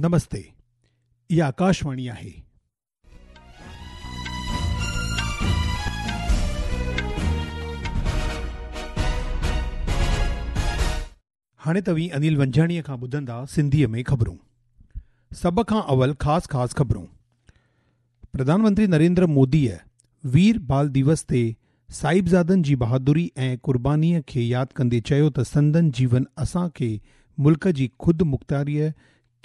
نمستي اها آڪاشواڻي آهي. هاڻي توهين انيل ونجهاڻيء کان ٻڌندا سنڌيء ۾ خبرون. سڀ کان اول خاص خاص خبرون. پرڌان منتري نريندر موديء وير بال ديوس تي صاحبزادن جي بهادري ۽ قربانيء کي ياد ڪندي چيو ته سندن جيون اسان کي ملڪ جي خود مختياريء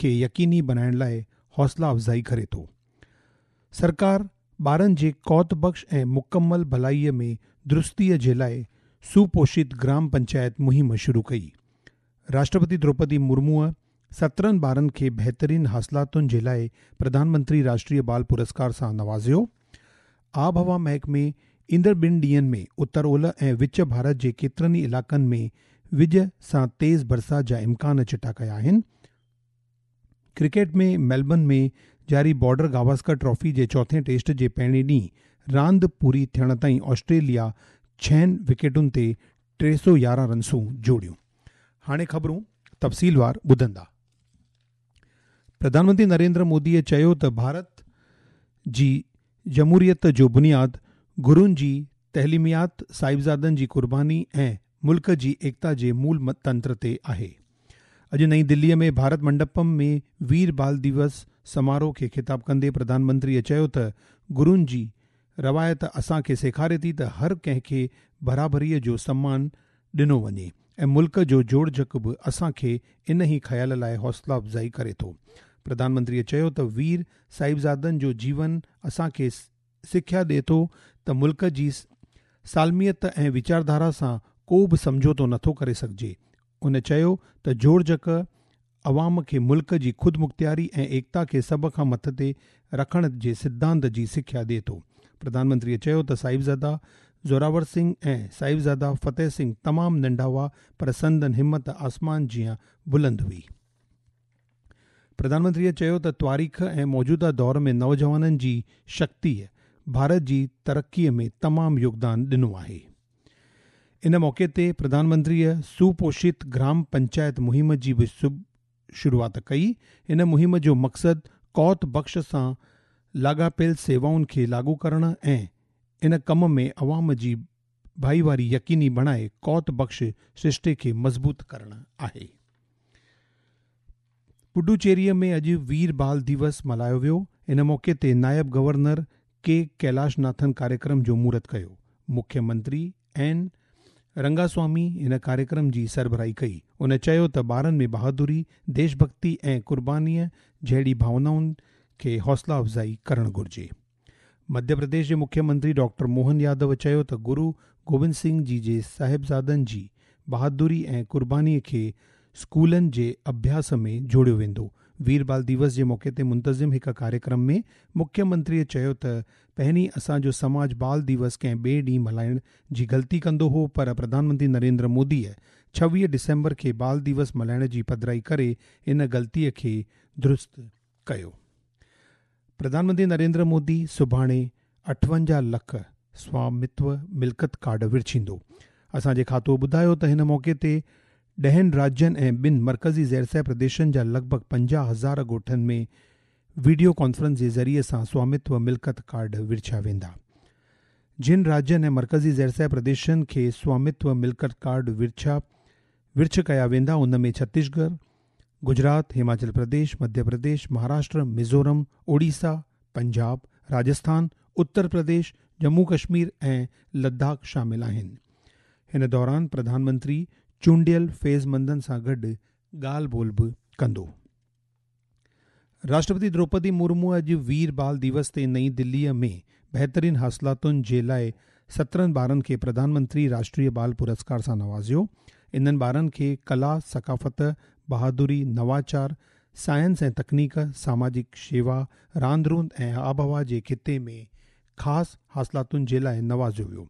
کي يقيني بڻائڻ لاء حوصلا افزائي ڪري ٿو. سرڪار ٻارن جي قوت بخش ۽ مڪمل ڀلائيء ۾ درستيء جي لاء سوپوشت گرام پنچائت مهم شروع ڪئي. راشٽرپتي دروپدي مرموء 17 ٻارن کي بهترين حاصلاتن جي لاء پرڌان منتري راشٽريه بال پرسڪار سان نوازيو. آبهوا محڪمي ايندڙ ٻن ڏينهن ۾ اتر اولهه ۽ وچ ڀارت جي ڪيترن ئي علائقن ۾ وڄ سان تيز برسات جا امڪان چٽا ڪيا آهن. ڪرڪيٽ ۾ ميلبرن ۾ جاري بارڊر گواسڪر ٽرافي جي چوٿين ٽيسٽ جي پهرين ڏينهن راند پوري ٿيڻ تائين آسٽريليا ڇهن وڪيٽن تي 311 رنسون جوڙيون. هاڻي خبرون تفصيلوار ٻڌندا. پرڌان منتري نريندر مودي چيو ته ڀارت جي جمهوريت جو بنياد گرن جي تعليمات، صاحبزادن جي قرباني ۽ ملڪ جي ايڪتا جي مول تنتر تي آهي. اڄ نئين دليء ۾ ڀارت منڊپم ۾ وير بال ديوس سماروهه کي خطاب ڪندي پرڌان منتريء چيو ته گرن جي روايت اسان کي سيکاري ٿي ته هر ڪنهن کي برابريء جو سمان ڏنو وڃي ۽ ملڪ جو جوڙجڪ به اسان کي ان ئي خيال لاء حوصلا افزائي ڪري ٿو. پرڌان منتريء چيو ته وير صاحبزادن جو جيون اسان کي سکيا ڏئي ٿو ته ملڪ جي سالميت ۽ ويچارڌارا سان ڪو به سمجهوتو نٿو ڪري سگهجي. هن چيو ته جوڙجڪ عوام کي ملڪ جي خودمختياري ۽ ايڪتا کي سڀ کان مٿتي رکڻ جي سڌانت جي سکيا ڏئي ٿو. پرڌان منتريء چيو ته صاحبزاده زوراور سنگهه ۽ صاحبزاده فتح سنگهه تمام ننڍا هئا پر سندن همت آسمان جيان بلند هئي. پرڌان منتريء چيو ته تواريخ ۽ موجوده دور ۾ نوجوانن جي شڪتيء ڀارت جي ترقيء ۾ تمام يوگدان ڏنو آهي. ان موقعي تي پرڌان منتريء سوپوشت گرام پنچائت مهم جي به شروعات ڪئي. ان مهم جو مقصد قوت بخش سان لاڳاپيل سيوائن کي لاڳو ڪرڻ ۽ ان ڪم ۾ عوام جي ڀائيواري يقيني بڻائي قوت بخش سرشتي کي مضبوط ڪرڻ آهي. پڊوچيريء ۾ اڄ وير بال ديوس ملهايو ويو. ان موقعي تي نائب گورنر ڪي ڪيلاش ناٿن ڪاريڪرم جو مهورت ڪيو. مکيه منتري اين رنگاسوامي ان ڪاريڪرم جي سربراهي ڪئي. هن چيو ته ٻارن ۾ بهادري، ديش ڀڳتي ۽ قربانيء جهڙي ڀاونائن کي حوصلا افزائي ڪرڻ گهرجي. مڌيه پرديش جي مکيه منتري ڊاڪٽر موهن يادو چيو ته گرو گوبند سنگهه جي جي صاحبزادن جي بهادري ۽ قرباني کي اسڪولن جي اڀياس ۾ جوڙيو ويندو. وير بال ديوس جي موقعي تي منتظم هڪ ڪاريڪرم ۾ مکيه منتري چيو ته پهرين اسان جو سماج بال ديوس ڪنهن ٻئي ڏينهن ملهائڻ جي غلطي ڪندو هو پر پرڌان منتري نريندر موديء 26 ڊسمبر کي بال ديوس ملهائڻ جي پڌرائي ڪري ان غلطي کي درست ڪيو. پرڌان منتري نريندر مودي سڀاڻي 58 لک سوامتو ملڪيت ڪارڊ ورڇيندو. اسان جي کاتو ٻڌايو ته هن موقعي تي ڏهن راجين ۽ ٻن مرڪزي زيرسيٰ پرديشن جا لڳ ڀڳ 50 هزار ڳوٺن ۾ وڊيو ڪانفرنس جي ذريعي سان سوامتو ملڪيت ڪارڊ ورڇيا ويندا. جن راجين ۽ مرڪزي زيرسيٰ پرديشن کي سوامتو ملڪيت ڪارڊ ورڇيا ورڇ ڪيا ويندا ان ۾ ڇتيسڳڙهه، گجرات، هماچل پرديش، مڌيه پرديش، مهاراشٽر، ميزورم، اوڙيسا، پنجاب، راجسٿان، اتر پرديش، ڄمون ڪشمير ۽ لداخ شامل آهن. هن دوران پرڌان منتري چونڊيل فيض مندن سان گڏ ڳالهه ٻولهه به ڪندو. راشٽرپتي دروپدي مرمو اڄ وير بال ديوس تي نئين دليء ۾ بهترين حاصلاتن جي لاء 17 ٻارن کي پرڌان منتري راشٽريه بال پرسڪار سان نوازيو. انهن ٻارن کي ڪلا، ثقافت، بهادري، نواچار، سائنس ۽ تڪنيڪ، ساماجڪ شيوا، راند روند ۽ آبهوا جي خطي ۾ خاص حاصلاتن جي لاء نوازيو ويو.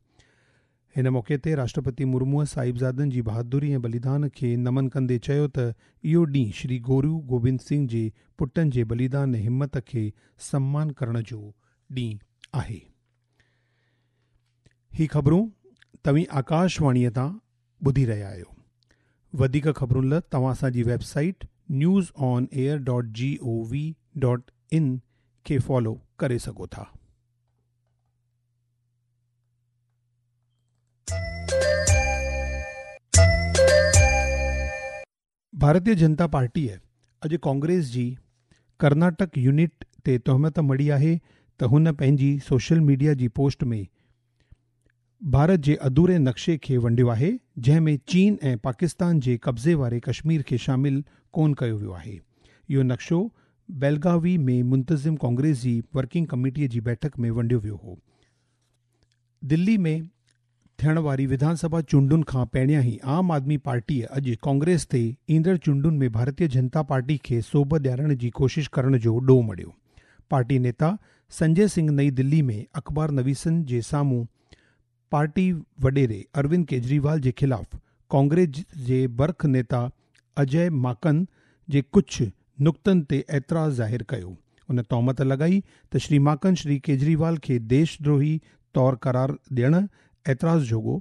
هن موقعي تي راشٽرپتي مرموء صاحبزادن جي بهادري ۽ بليدان کي نمن ڪندي چيو ته اهو ڏينهن شري گورو گوبند سنگهه جي پٽن جي بليدان ۽ همت کي سمان ڪرڻ جو ڏينهن آهي. هي خبرون توهين آڪاش واڻيء تان ٻڌي رهيا آهيو. وڌيڪ خبرن لاء توهان اسان جي web site News on air dot G O V dot in کي فالو ڪري سگهو ٿا. ڀارتيه جنتا پارٽيء اڄ ڪانگريس جي ڪرناٽڪ يونٽ تي تهمت مڙهي آهي ته هن پنهنجي سوشل ميڊيا جي پوسٽ ۾ ڀارت جي اڌوري نقشي کي ونڊيو آهي جنهن ۾ چين ۽ پاڪستان جي قبضي واري ڪشمير کي شامل ڪونه ڪيو ويو آهي. اهو نقشو بيلگاوي ۾ منتظم ڪانگريس جي ورڪنگ ڪميٽي جي بيٺڪ ۾ ونڊيو ويو هو. دلي ۾ ٿيڻ واري وڌان سڀا چونڊن کان پهريان ئي عام آدمي پارٽيء اڄ ڪانگريس تي ايندڙ چونڊن ۾ ڀارتيه جنتا پارٽي کي سوڀ ڏيارڻ جي ڪوشش ڪرڻ جو ڏوهه مڙهيو. پارٽي نيتا سنجي سنگهه نئين دلي ۾ اخبار نويسن جي سامهون پارٽي وڏيري اروند ڪيجريوال جي خلاف ڪانگريس جي برک نيتا اجي ماڪن جي ڪجهه نقطن تي اعتراض ظاهر ڪيو. ان تهمت لڳائي ته شري ماڪن شري ڪيجريوال کي ديش دروهي طور قرار ڏيڻ اعتراض جوڳو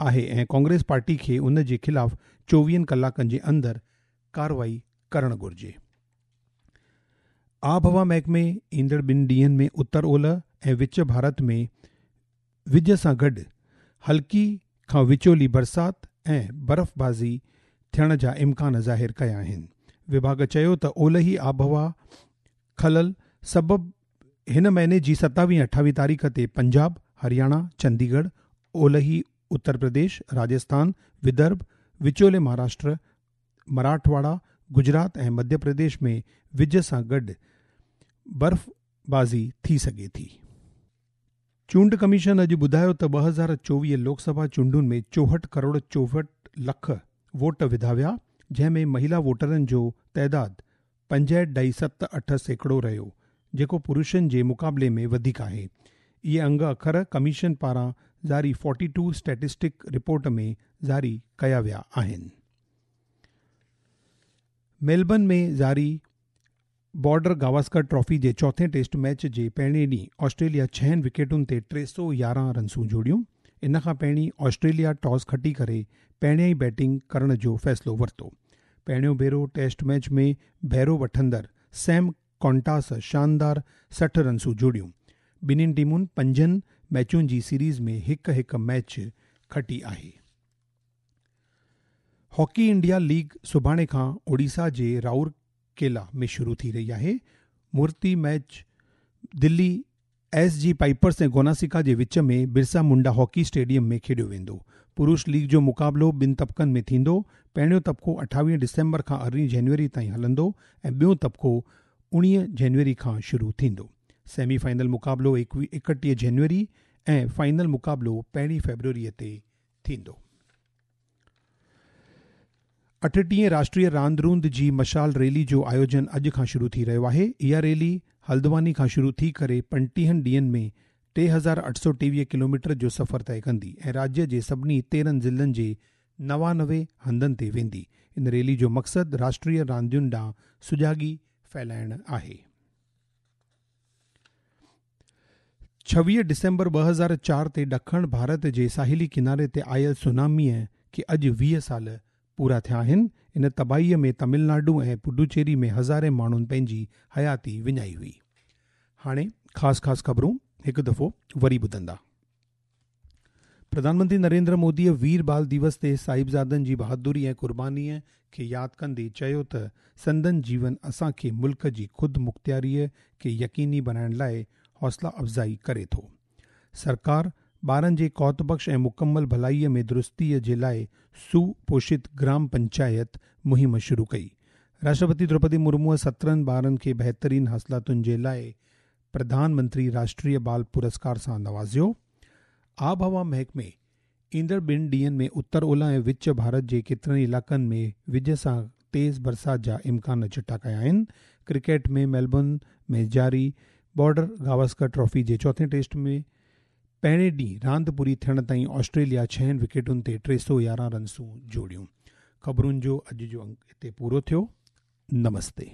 آهي ۽ ڪانگريس پارٽي کي ان جي خلاف چوويهن ڪلاڪن جي اندر ڪارروائي ڪرڻ گهرجي. آبهوا محڪمي ايندڙ ٻن ڏينهن ۾ اتر اولهه ۽ وچ ڀارت ۾ وڄ سان گڏ هلڪي کان وچولي برسات ۽ برفبازي ٿيڻ جا امڪان ظاهر ڪيا آهن. وڀاڳ چيو ته اولهي آبهوا خلل سبب هن مهيني جي ستاويهه ۽ اٺاويهه تاريخ تي پنجاب، هرياڻا، چنديڳڙهه، اولهي اتر پرديش، راجسٿان، ودرڀ، وچولي مهاراشٽر، مراٺواڙا، گجرات ۽ مڌيه پرديش ۾ وڄ سان گڏ برفبازي ٿي سگهي ٿي. چونڊ ڪميشن اڄ ٻڌايو ته 2024 لوڪ سڀا چونڊن ۾ 64 ڪروڙ 64 لک ووٽ وڌا ويا، جنهن ۾ مهيلا ووٽرن جو تعداد 65.78% رهيو، جيڪو پرشن جي مقابلي ۾ وڌيڪ آهي. اهي انگ اکر ڪميشن پاران جاري فورٽي ٽو اسٽيٽسٽڪ رپورٽ ۾ جاري ڪيا ويا آهن. ميلبرن ۾ جاري بارڊر گواسڪر ٽرافي جي چوٿين ٽيسٽ ميچ جي پهرين ڏينهن آسٽريليا ڇهن وڪيٽن تي 311 رنسون جوڙيون. ان کان پهرين آسٽريليا ٽاس کٽي ڪري پهريائين بيٽنگ ڪرڻ جو فيصلو ورتو. پهريون ڀيرو ٽيسٽ ميچ ۾ بهرو وٺندڙ سيم ڪونٽاس شاندار 60 رنسون جوڙيون. ٻنهين ٽيمن پنجن ميچن جي سيريز ۾ هڪ هڪ ميچ کٽي آهي. هاڪي انڊيا ليگ سڀاڻي کان اوڊيسا جي رائور ڪيلا ۾ شروع ٿي رهي آهي. مهورتي ميچ دلي ايس جي پائپرس ۽ گوناسيڪا جي وچ ۾ برسا منڊا هاڪي اسٽيڊيم ۾ کيڏيو ويندو. پرش ليگ جو مقابلو ٻن طبقن ۾ ٿيندو، پهريون طبقو 28 ڊسمبر کان 18 جنوري تائين هلندو ۽ ٻيون طبقو 19 جنوري کان شروع ٿيندو. سيمي فائنل مقابلو 31 جنوري ۽ فائنل مقابلو پهرين فيبروري تي ٿيندو. اٺٽيهين راشٽريه راند روند جي مشال ريلي جو آيوجن اڄ کان شروع ٿي رهيو آهي. اها ريلي هلدواني کان شروع ٿي ڪري پنٽيهن ڏينهن ۾ 3823 ڪلوميٽر جو سفر طئي ڪندي ۽ راجيه جي سڀني تيرهن ضلعن جي 99 هنڌن تي ويندي. ان ريلي جو مقصد راشٽريه راندين ڏانهن سجاڳي ڦهلائڻ آهي. 26 ڊسمبر 2004 تي ڏکڻ ڀارت جي ساحلي ڪناري تي آيل سوناميء کي اڄ 20 سال پورا ٿيا آهن. ان تباهيء ۾ تامل ناڊو ۽ پڊوچيري ۾ هزارين ماڻهن پنهنجي حياتي وڃائي هئي. هاڻي خاص خاص خبرون هڪ دفعو وري ٻڌندا. پرڌان منتري نريندر موديء وير بال ديوس تي صاحبزادن جي بهادري ۽ قربانيء کي ياد ڪندي چيو ته سندن جيون اسان کي ملڪ جي خود مختياريء کي يقيني بڻائڻ لاء حوصلا افزائي ڪري ٿو. سرڪار ٻارن جي قوت بخش ۽ مڪمل ڀلائيء ۾ درستيء جي لاء سوپوشت گرام پنچائت مهم شروع ڪئي. راشٽرپتي دروپدي مرموء 17 ٻارن کي بهترين حاصلاتن جي لاء پرڌان منتري راشٽريه بال پرسڪار سان نوازيو. آبهوا محڪمي ايندڙ ٻن ڏينهن ۾ اتر اولهه ۽ وچ ڀارت جي ڪيترن ئي علائقن ۾ وڄ سان تيز برسات جا امڪان چٽا ڪيا آهن. ڪرڪيٽ ۾ ميلبورن ۾ جاري بارڊر گواسڪر ٽرافي جي چوٿين ٽيسٽ ۾ پهرين ڏينهن راند پوري ٿيڻ تائين آسٽريليا ڇهن وڪيٽن تي 311 رنسون جوڙيون. خبرن جو اڄ جو انڪ هتي پورو ٿيو. نمستي.